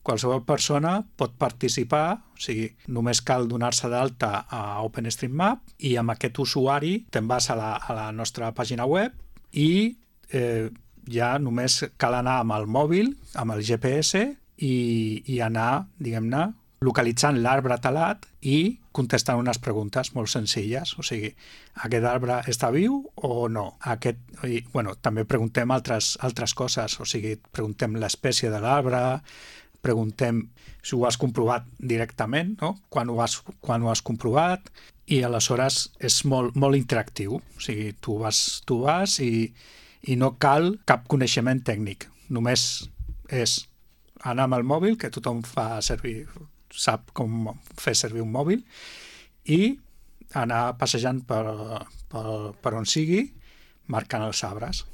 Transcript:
qualsevol persona pot participar, o sigui, només cal donar-se d'alta a OpenStreetMap i amb aquest usuari te'n vas a la nostra pàgina web i ja només cal anar amb el mòbil, amb el GPS i anar, diguem-ne, localitzant l'arbre talat i contestant unes preguntes molt senzilles. O sigui, aquest arbre està viu o no? També preguntem altres coses, o sigui, preguntem l'espècie de l'arbre, preguntem si ho has comprovat directament, no? Quan ho has comprovat, i aleshores és molt interactiu. O sigui, tu vas i no cal cap coneixement tècnic. Només és anar amb el mòbil, que tothom sap com fer servir un mòbil, i anar passejant per on sigui, marcant els arbres.